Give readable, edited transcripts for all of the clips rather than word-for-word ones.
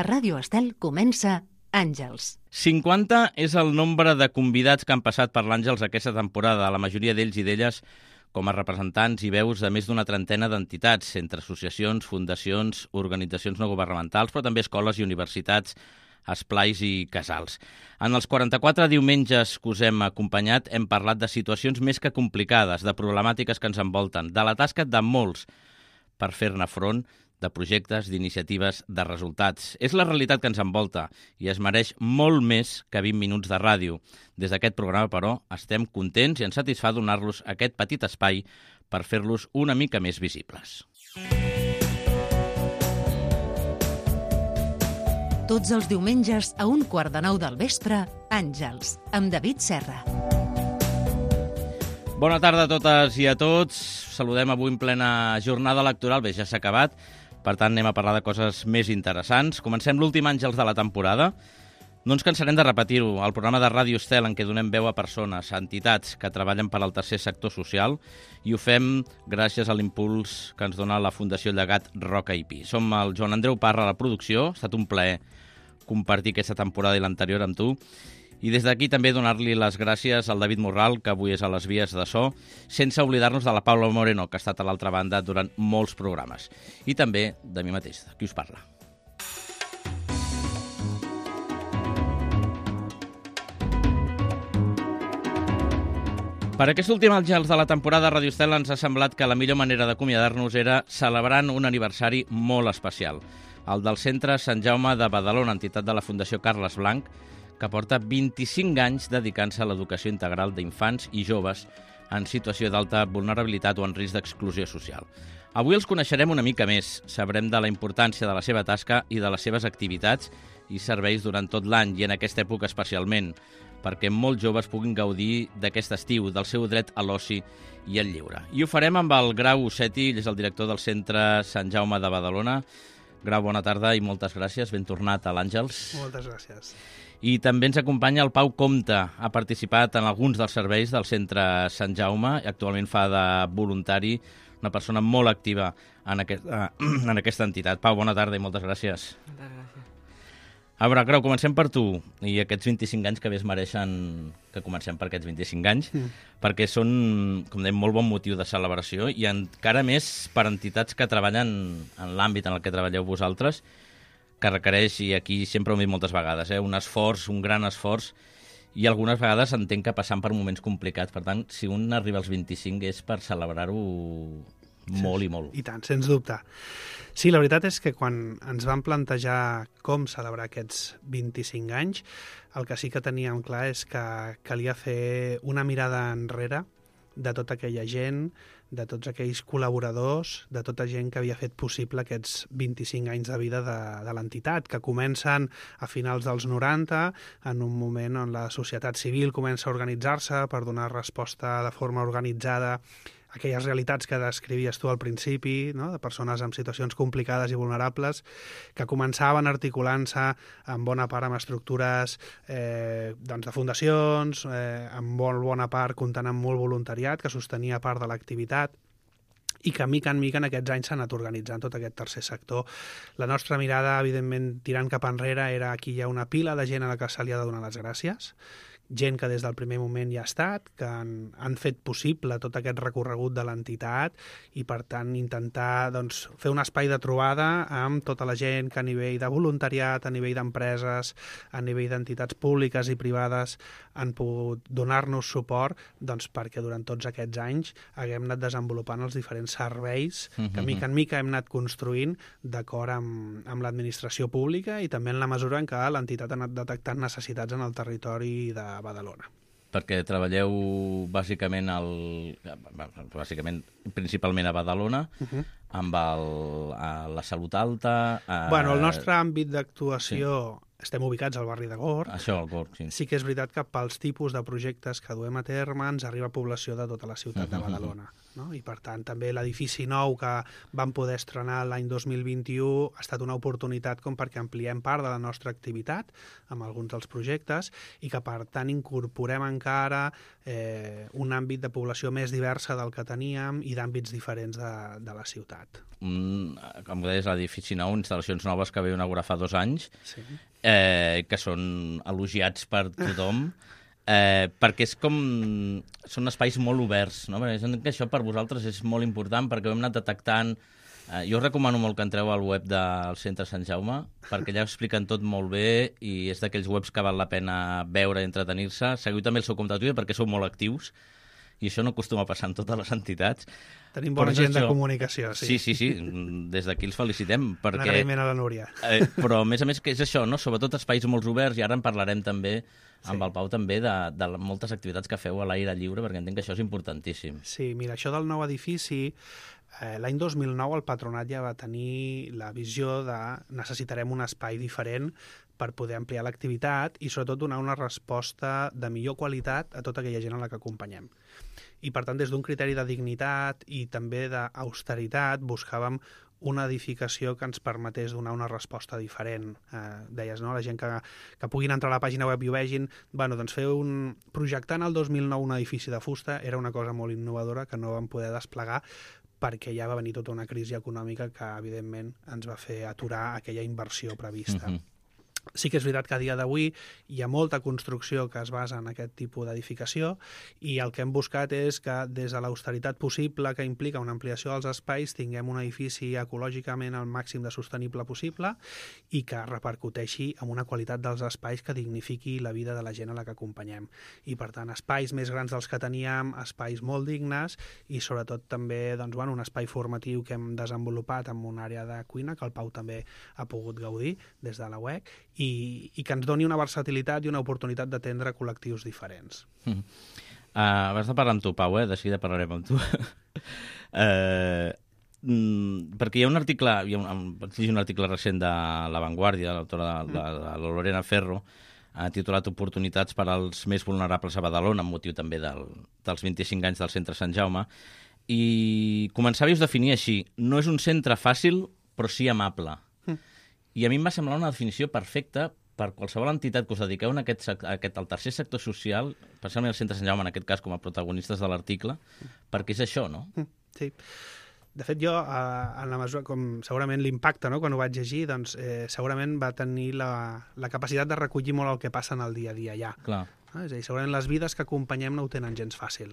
A Ràdio Estel comença Àngels. 50 és el nombre de convidats que han passat per l'Àngels aquesta temporada, la majoria d'ells i d'elles com a representants i veus de més d'una trentena d'entitats, entre associacions, fundacions, organitzacions no governamentals, però també escoles i universitats, esplais i casals. En els 44 diumenges que us hem acompanyat hem parlat de situacions més que complicades, de problemàtiques que ens envolten, de la tasca de molts per fer-ne front, de projectes, d'iniciatives, de resultats. És la realitat que ens envolta i es mereix molt més que 20 minuts de ràdio. Des d'aquest programa, però, estem contents i ens satisfà donar-los aquest petit espai per fer-los una mica més visibles. Tots els diumenges a 8:45 del vespre, Àngels, amb David Serra. Bona tarda a totes i a tots. Saludem avui en plena jornada electoral. Bé, ja s'ha acabat. Per tant, anem a parlar de coses més interessants. Comencem l'últim Àngels de la temporada. No ens cansarem de repetir-ho, el programa de Ràdio Estel en què donem veu a persones, a entitats que treballen per al tercer sector social, i ho fem gràcies a l'impuls que ens dona la Fundació Llegat Roca i Pi. Som el Joan Andreu Parra a la producció. Ha estat un plaer compartir aquesta temporada i l'anterior amb tu. I des d'aquí també donar-li les gràcies al David Morral, que avui és a les vies de so, sense oblidar-nos de la Paula Moreno, que ha estat a l'altra banda durant molts programes. I també de mi mateix, de qui us parla. Per aquest últim Àngels de la temporada, Radio Estel ens ha semblat que la millor manera d'acomiadar-nos era celebrant un aniversari molt especial, el del Centre Sant Jaume de Badalona, entitat de la Fundació Carles Blanc, que porta 25 anys dedicant-se a l'educació integral d'infants i joves en situació d'alta vulnerabilitat o en risc d'exclusió social. Avui els coneixerem una mica més, sabrem de la importància de la seva tasca i de les seves activitats i serveis durant tot l'any i en aquesta època especialment, perquè molts joves puguin gaudir d'aquest estiu, del seu dret a l'oci i al lleure. I ho farem amb el Grau Osseti, ell és el director del Centre Sant Jaume de Badalona. Grau, bona tarda i moltes gràcies. Ben tornat a l'Àngels. Moltes gràcies. I també ens acompanya el Pau Comte. Ha participat en alguns dels serveis del Centre Sant Jaume i actualment fa de voluntari, una persona molt activa en aquesta entitat. Pau, bona tarda i moltes gràcies. Moltes gràcies. A veure, Grau, comencem per tu i aquests 25 anys que bé es mereixen que comencem per aquests 25 anys, perquè són, com dèiem, molt bon motiu de celebració i encara més per entitats que treballen en l'àmbit en el que treballeu vosaltres, que requereix, i aquí sempre ho hem dit moltes vegades, un esforç, un gran esforç, i algunes vegades entenc que passant per moments complicats. Per tant, si un arriba als 25 és per celebrar-ho molt i molt. I tant, sens dubte. Sí, la veritat és que quan ens vam plantejar com celebrar aquests 25 anys, el que sí que teníem clar és que calia fer una mirada enrere de tota aquella gent, de tots aquells col·laboradors, de tota gent que havia fet possible aquests 25 anys de vida de l'entitat, que comencen a finals dels 90, en un moment on la societat civil comença a organitzar-se per donar resposta de forma organitzada a aquelles realitats que descrivies tu al principi, no? De persones en situacions complicades i vulnerables, que començaven articulant-se en bona part amb estructures doncs de fundacions, en molt bona part comptant amb molt voluntariat que sostenia part de l'activitat, i que mica en mica en aquests anys s'ha anat organitzant tot aquest tercer sector. La nostra mirada, evidentment, tirant cap enrere, era aquí hi ha una pila de gent a la que se li ha de donar les gràcies, gent que des del primer moment hi ha estat, que han fet possible tot aquest recorregut de l'entitat i, per tant, intentar doncs, fer un espai de trobada amb tota la gent que a nivell de voluntariat, a nivell d'empreses, a nivell d'entitats públiques i privades han pogut donar-nos suport doncs, perquè durant tots aquests anys haguem anat desenvolupant els diferents serveis que mica en mica hem anat construint d'acord amb l'administració pública i també en la mesura en què l'entitat ha anat detectant necessitats en el territori de Badalona. Perquè treballeu bàsicament principalment a Badalona, amb la salut alta... Bueno, el nostre àmbit d'actuació estem ubicats al barri de Gorg. Això, el Gorg, sí. Sí que és veritat que pels tipus de projectes que duem a terme ens arriba població de tota la ciutat de Badalona. No? I per tant també l'edifici nou que vam poder estrenar l'any 2021 ha estat una oportunitat com perquè ampliem part de la nostra activitat amb alguns dels projectes i que per tant incorporem encara un àmbit de població més diversa del que teníem i d'àmbits diferents de la ciutat. Com deies, l'edifici nou, instal·lacions noves que vau inaugurar fa 2 anys, Sí. Que són elogiats per tothom, perquè són espais molt oberts, no? Perquè entenc que això per vosaltres és molt important, perquè ho hem anat detectant. Jo us recomano molt que entreu al web del Centre Sant Jaume, perquè allà ho expliquen tot molt bé i és d'aquells webs que val la pena veure i entretenir-se. Seguiu també el seu compte de Twitter perquè sou molt actius, i això no acostuma a passar en totes les entitats. Tenim bona gent de comunicació, sí. Sí. Des d'aquí els felicitem. Perquè... Un agraïment a la Núria. Però, a més, que és això, no? Sobretot espais molt oberts, i ara en parlarem també amb el Pau també de moltes activitats que feu a l'aire lliure, perquè entenc que això és importantíssim. Sí, mira, això del nou edifici, l'any 2009 el Patronat ja va tenir la visió de necessitarem un espai diferent per poder ampliar l'activitat i sobretot donar una resposta de millor qualitat a tota aquella gent a la que acompanyem. I per tant, des d'un criteri de dignitat i també d'austeritat, buscàvem una edificació que ens permetés donar una resposta diferent. Deies, no? La gent que puguin entrar a la pàgina web i ho vegin, bueno, doncs projectant el 2009 un edifici de fusta era una cosa molt innovadora que no vam poder desplegar perquè ja va venir tota una crisi econòmica que, evidentment, ens va fer aturar aquella inversió prevista. Sí que és veritat que a dia d'avui hi ha molta construcció que es basa en aquest tipus d'edificació i el que hem buscat és que des de l'austeritat possible que implica una ampliació dels espais tinguem un edifici ecològicament al màxim de sostenible possible i que repercuteixi en una qualitat dels espais que dignifiqui la vida de la gent a la que acompanyem. I per tant, espais més grans dels que teníem, espais molt dignes i sobretot també un espai formatiu que hem desenvolupat amb una àrea de cuina que el Pau també ha pogut gaudir des de la UEC i que ens doni una versatilitat i una oportunitat d'atendre col·lectius diferents. Abans de parlar amb tu, Pau, de seguida parlarem amb tu. Perquè hi ha un article, un article recent de La Vanguardia, de l'autora de la Lorena Ferro, titulat Oportunitats per als més vulnerables a Badalona, amb motiu també dels 25 anys del Centre Sant Jaume, i començava a definir així: no és un centre fàcil, però sí amable. I a mi em va semblar una definició perfecta per qualsevol entitat que us dediqueu al tercer sector social, especialment al Centre Sant Jaume, en aquest cas com a protagonistes de l'article, perquè és això, no? Sí. De fet, jo, en la mesura, com segurament l'impacte, no?, quan ho vaig llegir, doncs segurament va tenir la capacitat de recollir molt el que passa en el dia a dia allà. Clar. És a dir, segurament les vides que acompanyem no ho tenen gens fàcil.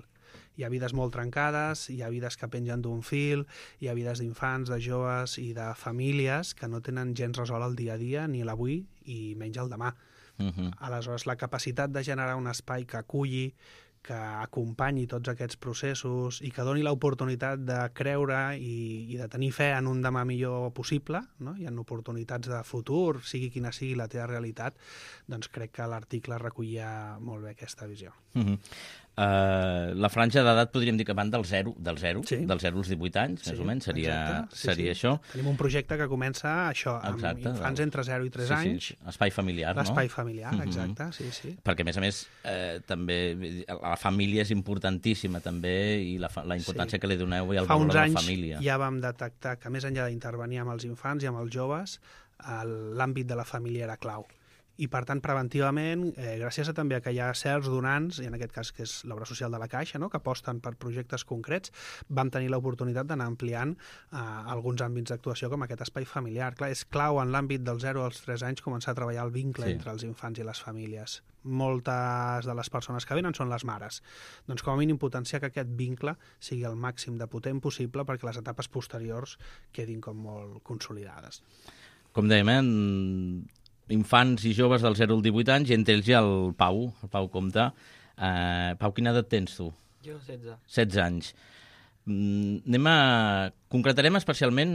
Hi ha vides molt trencades, hi ha vides que pengen d'un fil, hi ha vides d'infants, de joves i de famílies que no tenen gens resolt el dia a dia, ni l'avui i menys el demà. Aleshores, la capacitat de generar un espai que aculli, que acompanyi tots aquests processos i que doni l'oportunitat de creure i de tenir fe en un demà millor possible, no? I en oportunitats de futur, sigui quina sigui la teva realitat, doncs crec que l'article recollia molt bé aquesta visió. La franja d'edat podríem dir que van del 0 sí. dels 0 als 18 anys, més o menys, seria això. Tenim un projecte que comença això, amb infants entre 0 i 3 anys. Espai familiar, no? L'espai familiar, exacte, sí. Perquè, a més, també la família és importantíssima, també, i la importància que li doneu i el valor de la família. Fa uns anys ja vam detectar que, més enllà d'intervenir amb els infants i amb els joves, l'àmbit de la família era clau. I, per tant, preventivament, gràcies també a que hi ha certs donants, i en aquest cas que és l'obra social de la Caixa, no?, que aposten per projectes concrets, vam tenir l'oportunitat d'anar ampliant alguns àmbits d'actuació com aquest espai familiar. Clar, és clau en l'àmbit dels 0 als 3 anys començar a treballar el vincle entre els infants i les famílies. Moltes de les persones que venen són les mares. Doncs com a mínim potenciar que aquest vincle sigui el màxim de potent possible perquè les etapes posteriors quedin com molt consolidades. Com dèiem, infants i joves del 0 al 18 anys, i entre ells hi ha el Pau Comte. Pau, quina edat tens tu? Jo, 16. 16 anys. Concretarem especialment,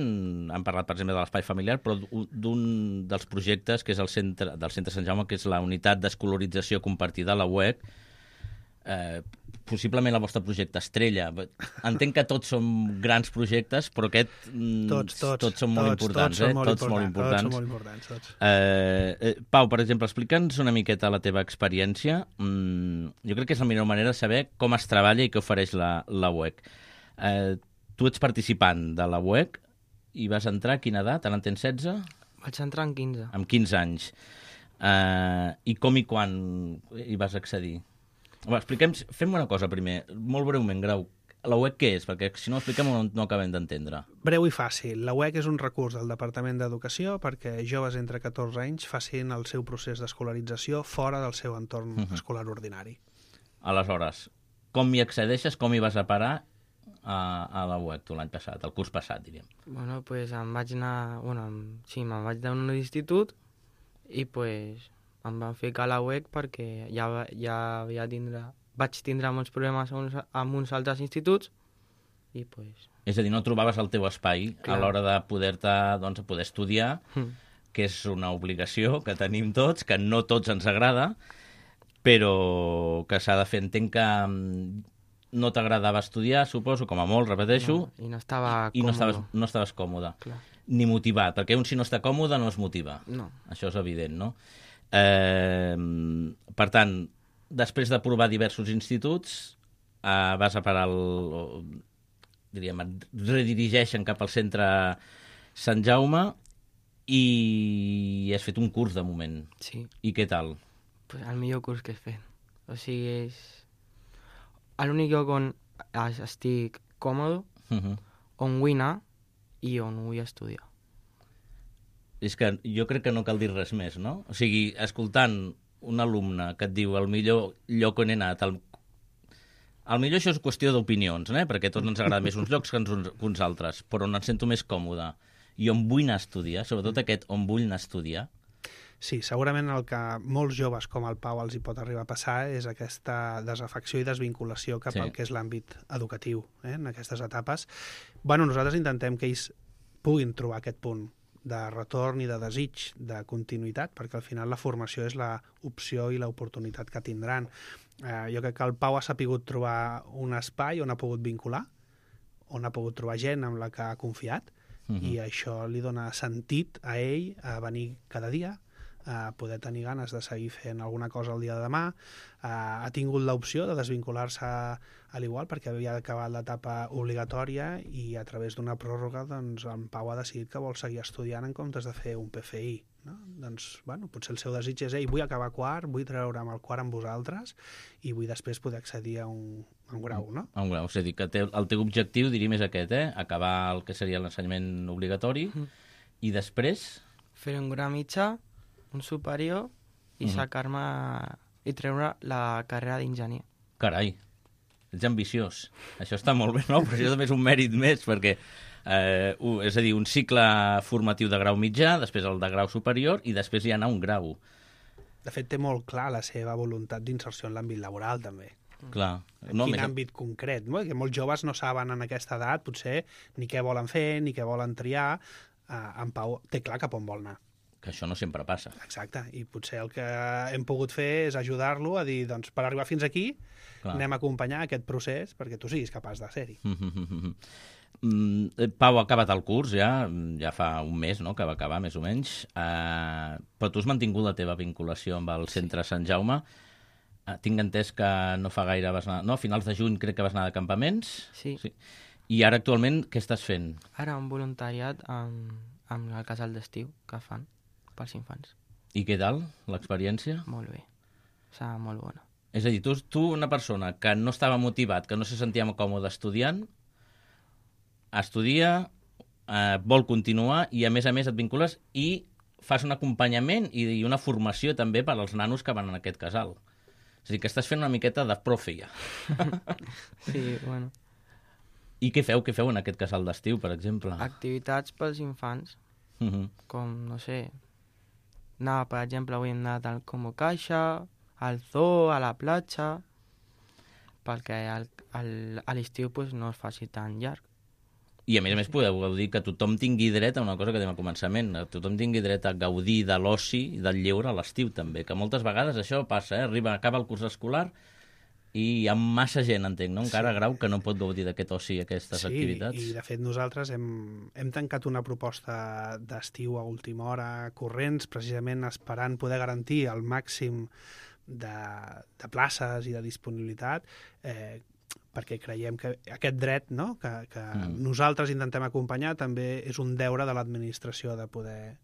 hem parlat per exemple de l'espai familiar, però d'un dels projectes que és del Centre Sant Jaume, que és la unitat d'escolarització compartida a la UEC. possiblement el vostre projecte estrella. Entenc que tots són grans projectes, però aquest tots són molt importants. Tots molt importants. Pau, per exemple, explica'ns una miqueta la teva experiència. Jo crec que és la millor manera de saber com es treballa i què ofereix la UEC. Tu ets participant de la UEC i vas entrar a quina edat? Ara en tens 16? Vaig entrar amb 15. Amb 15 anys. I com i quan hi vas accedir? Fem una cosa primer, molt breument, Grau. La UEC què és? Perquè si no ho expliquem no acabem d'entendre. Breu i fàcil. La UEC és un recurs del Departament d'Educació perquè joves entre 14 anys facin el seu procés d'escolarització fora del seu entorn escolar ordinari. Aleshores, com hi accedeixes, com hi vas a parar a la UEC tu l'any passat, el curs passat, diríem? Bueno, pues em vaig anar... me'n vaig anar a un institut i pues em van ficar a la UEC perquè vaig tindre molts problemes amb uns altres instituts i pues... És a dir, no trobaves el teu espai a l'hora de poder estudiar, que és una obligació que tenim tots, que no tots ens agrada, però que s'ha de fer. Entenc que no t'agradava estudiar, suposo, com a molt, repeteixo, i no estava còmode. No estaves còmode. Clar. Ni motivat, perquè un si no està còmode no es motiva. No. Això és evident, no? Per tant, després de provar diversos instituts, vas a parar et redirigeixen cap al centre Sant Jaume i has fet un curs de moment. Sí. I què tal? Pues el millor curs que he fet. O sigui, és l'únic lloc on estic còmode, on vull anar i on vull estudiar. És que jo crec que no cal dir res més, no? O sigui, escoltant un alumne que et diu el millor lloc on he anat, el millor això és qüestió d'opinions, perquè a tots ens agrada més uns llocs que uns altres, però on em sento més còmode i on vull anar a estudiar, sobretot aquest on vull anar a estudiar. Sí, segurament el que molts joves com el Pau els hi pot arribar a passar és aquesta desafecció i desvinculació cap al que és l'àmbit educatiu en aquestes etapes. Nosaltres intentem que ells puguin trobar aquest punt de retorn i de desig de continuïtat, perquè al final la formació és l'opció i l'oportunitat que tindran. Jo crec que el Pau ha sapigut trobar un espai on ha pogut vincular, on ha pogut trobar gent amb la que ha confiat, i això li dona sentit a ell a venir cada dia, a poder tenir ganes de seguir fent alguna cosa el dia de demà. Ha tingut l'opció de desvincular-se a l'igual perquè havia acabat l'etapa obligatòria i a través d'una pròrroga doncs, en Pau ha decidit que vol seguir estudiant en comptes de fer un PFI. No? Doncs, potser el seu desig és vull acabar quart, vull treure'm el quart amb vosaltres i vull després poder accedir a un grau. No? A un grau, és a dir, que el teu objectiu, diríem, és aquest, acabar el que seria l'ensenyament obligatori i després... Fer un grau mitjà, un superior i sacar-me i treure la carrera d'enginyer. Carai, ets ambiciós. Això està molt bé, no? Però això també és un mèrit més, perquè és a dir, un cicle formatiu de grau mitjà, després el de grau superior i després hi ha anar un grau. De fet, té molt clar la seva voluntat d'inserció en l'àmbit laboral, també. Clar. En quin àmbit concret? Que molts joves no saben en aquesta edat, potser, ni què volen fer, ni què volen triar. En Pau té clar cap on vol anar. Que això no sempre passa. Exacte, i potser el que hem pogut fer és ajudar-lo a dir, doncs, per arribar fins aquí, anem a acompanyar aquest procés perquè tu siguis capaç de ser-hi. Pau ha acabat el curs ja fa un mes, no?, que va acabar, més o menys, però tu has mantingut la teva vinculació amb el centre Sant Jaume. Tinc entès que no fa gaire vas anar... No, a finals de juny crec que vas anar de campaments. Sí. I ara actualment què estàs fent? Ara un voluntariat amb el casal d'estiu que fan pels infants. I què tal, l'experiència? Molt bé, serà molt bona. És a dir, tu una persona que no estava motivat, que no se sentia còmode estudiant, estudia, vol continuar i a més et vincules i fas un acompanyament i una formació també per als nanos que van en aquest casal. És a dir, que estàs fent una miqueta de profe ja. Sí, bueno. I què feu en aquest casal d'estiu, per exemple? Activitats pels infants, com, no sé, anar, per exemple, avui hem anat al Combo Caixa, al zoo, a la platja, perquè a l'estiu no es faci tan llarg. I a més podeu dir que tothom tingui dret a una cosa que dèiem al començament, tothom tingui dret a gaudir de l'oci i del lleure a l'estiu també, que moltes vegades això passa, acaba el curs escolar i hi ha massa gent, entenc, no? Encara a Grau que no pot gaudir d'aquest oci, aquestes activitats. Sí, i de fet nosaltres hem tancat una proposta d'estiu a última hora corrents, precisament esperant poder garantir el màxim de places i de disponibilitat, perquè creiem que aquest dret, no?, que nosaltres intentem acompanyar, també és un deure de l'administració de poder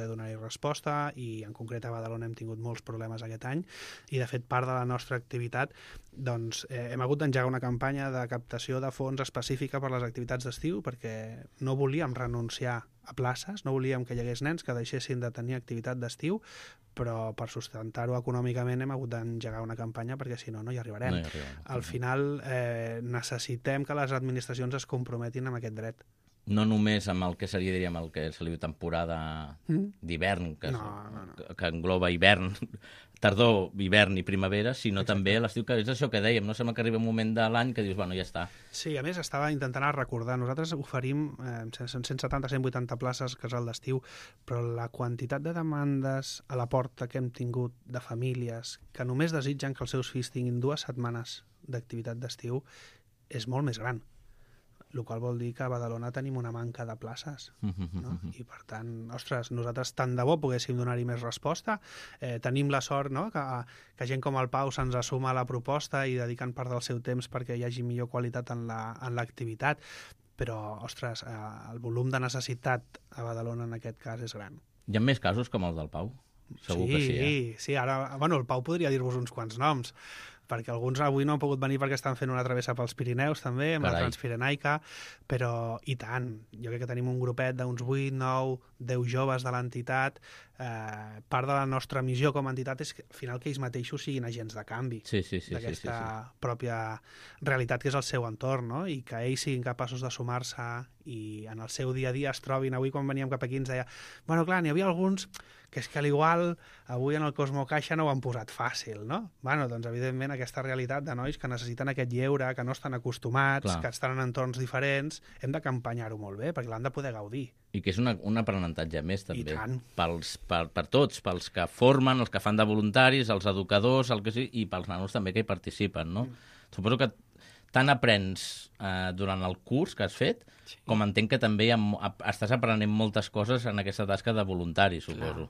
donar-hi resposta, i en concret a Badalona hem tingut molts problemes aquest any, i de fet part de la nostra activitat doncs hem hagut d'engegar una campanya de captació de fons específica per a les activitats d'estiu, perquè no volíem renunciar a places, no volíem que hi hagués nens que deixessin de tenir activitat d'estiu, però per sustentar-ho econòmicament hem hagut d'engegar una campanya, perquè si no, no hi arribarem. Al final necessitem que les administracions es comprometin amb aquest dret. No només amb el que seria, diríem, el que se li diu temporada d'hivern, que engloba hivern, tardor, hivern i primavera, sinó també l'estiu, que és això que dèiem, no sembla que arriba un moment de l'any que dius, bueno, ja està. Sí, a més, estava intentant recordar, nosaltres oferim 170-180 places casal d'estiu, però la quantitat de demandes a la porta que hem tingut de famílies que només desitgen que els seus fills tinguin 2 setmanes d'activitat d'estiu és molt més gran. El qual vol dir que a Badalona tenim una manca de places, no? I per tant, ostres, nosaltres tant de bo poguéssim donar-hi més resposta. Tenim la sort, no?, que gent com el Pau se'ns assuma a la proposta i dediquen part del seu temps perquè hi hagi millor qualitat en l'activitat, però, ostres, el volum de necessitat a Badalona en aquest cas és gran. Hi ha més casos com el del Pau? Segur que sí, Sí, ara, bueno, el Pau podria dir-vos uns quants noms, perquè alguns avui no han pogut venir perquè estan fent una travessa pels Pirineus també, amb la Transpirenaica, però i tant, jo crec que tenim un grupet d'uns 8, 9, 10 joves de l'entitat. Part de la nostra missió com a entitat és que al final que ells mateixos siguin agents de canvi d'aquesta pròpia realitat que és el seu entorn, no? I que ells siguin capaços de sumar-se i en el seu dia a dia es trobin. Avui quan veníem cap aquí ens deia, bueno, clar, n'hi havia alguns que és que a l'igual avui en el Cosmo Caixa no ho han posat fàcil, no? Bueno, doncs evidentment aquesta realitat de nois que necessiten aquest lleure, que no estan acostumats, que estan en entorns diferents, hem d'acompanyar-ho molt bé, perquè l'han de poder gaudir. I que és un aprenentatge més, també, per tots, pels que formen, els que fan de voluntaris, els educadors, i pels nanos també que hi participen, no? Suposo que tant aprens durant el curs que has fet, com entenc que també estàs aprenent moltes coses en aquesta tasca de voluntari, suposo.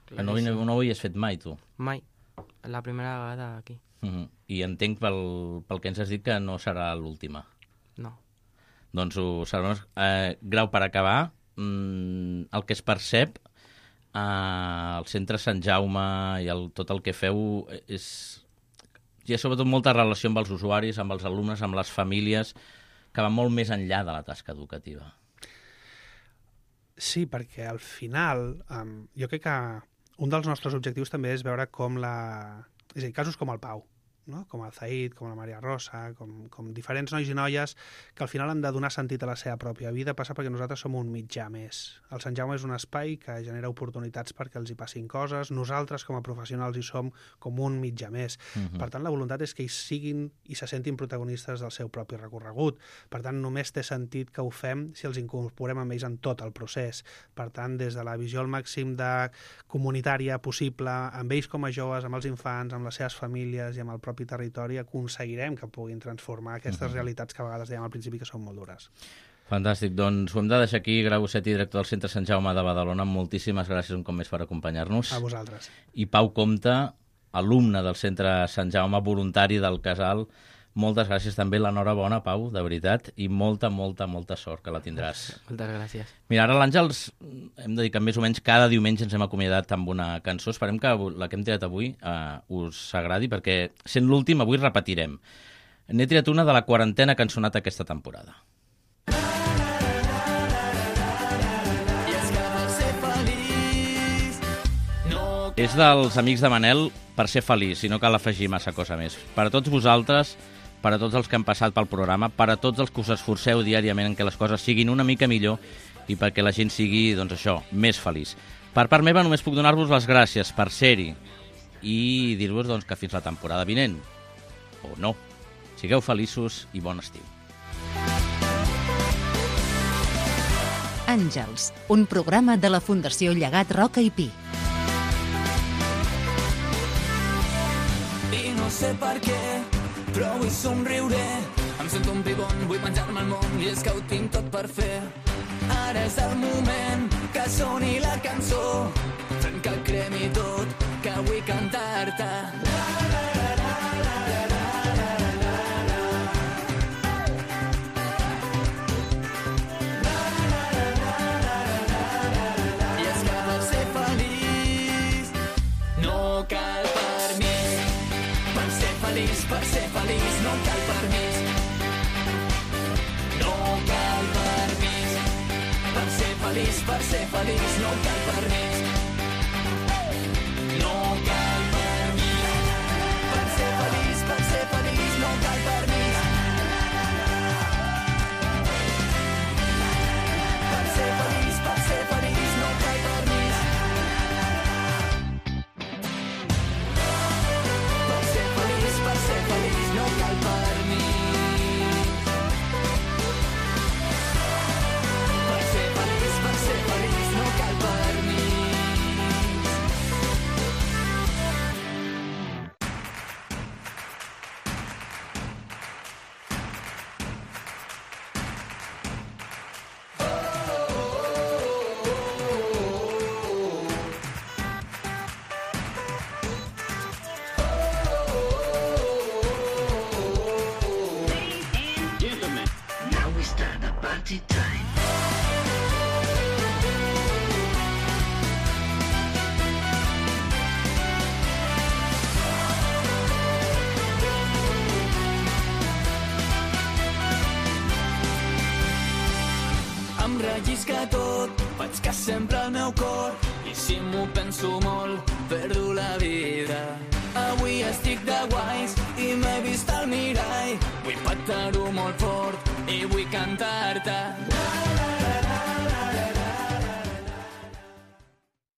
Que no ho havies fet mai, tu? Mai. La primera vegada aquí. I entenc pel que ens has dit que no serà l'última. No. Doncs ho sabrem. Grau, per acabar, el que es percep al centre Sant Jaume i tot el que feu hi ha sobretot molta relació amb els usuaris, amb els alumnes, amb les famílies, que va molt més enllà de la tasca educativa. Sí, perquè al final jo crec que un dels nostres objectius també és veure com és a dir, casos com el Pau, no? Com el Zaid, com la Maria Rosa, com diferents nois i noies que al final han de donar sentit a la seva pròpia vida, passa perquè nosaltres som un mitjà més. El Sant Jaume és un espai que genera oportunitats perquè els hi passin coses, nosaltres com a professionals hi som com un mitjà més. Per tant, la voluntat és que ells siguin i se sentin protagonistes del seu propi recorregut. Per tant, només té sentit que ho fem si els incorporem amb ells en tot el procés. Per tant, des de la visió al màxim de comunitària possible, amb ells com a joves, amb els infants, amb les seves famílies i amb el propi territori, aconseguirem que puguin transformar aquestes realitats que a vegades dèiem al principi que són molt dures. Fantàstic, doncs ho hem de deixar aquí. Grau Osetti, director del Centre Sant Jaume de Badalona, moltíssimes gràcies un cop més per acompanyar-nos. A vosaltres. I Pau Compte, alumne del Centre Sant Jaume, voluntari del Casal, moltes gràcies també, l'enhorabona, Pau, de veritat, i molta sort, que la tindràs. Moltes gràcies. Mira, ara l'Àngels, hem de dir que més o menys cada diumenge ens hem acomiadat amb una cançó. Esperem que la que hem tirat avui us agradi, perquè sent l'últim, avui repetirem. N'he tirat una de la 40a cançonata aquesta temporada. És dels Amics de Manel, Per ser feliç, i no cal afegir massa cosa més. Per a tots vosaltres, per a tots els que han passat pel programa, per a tots els que us esforceu diàriament en què les coses siguin una mica millor i perquè la gent sigui, doncs això, més feliç. Per part meva només puc donar-vos les gràcies per ser-hi i dir-vos doncs, que fins la temporada vinent, o no, sigueu feliços i bon estiu. Àngels, un programa de la Fundació Llegat Roca i Pi. I no sé per què, però avui somriuré. Em sento un pibon, vull menjar-me el món i és que ho tinc tot per fer. Ara és el moment que soni la cançó, fent que cremi tot, que vull cantar-te. Per ser feliç no cal permís. No cal permís. Per ser feliç no cal permís. No cal permís. Per ser feliç no cal permís. Per ser feliç no cal permís. Per ser feliç no cal permís. Per ser feliç no cal permís. Em rellisca tot, faig que sempre el meu cor, i si m'ho penso molt, perdo la vida. Avui estic de guais i m'he vist al mirall, vull petar-ho molt fort i vull cantar-te.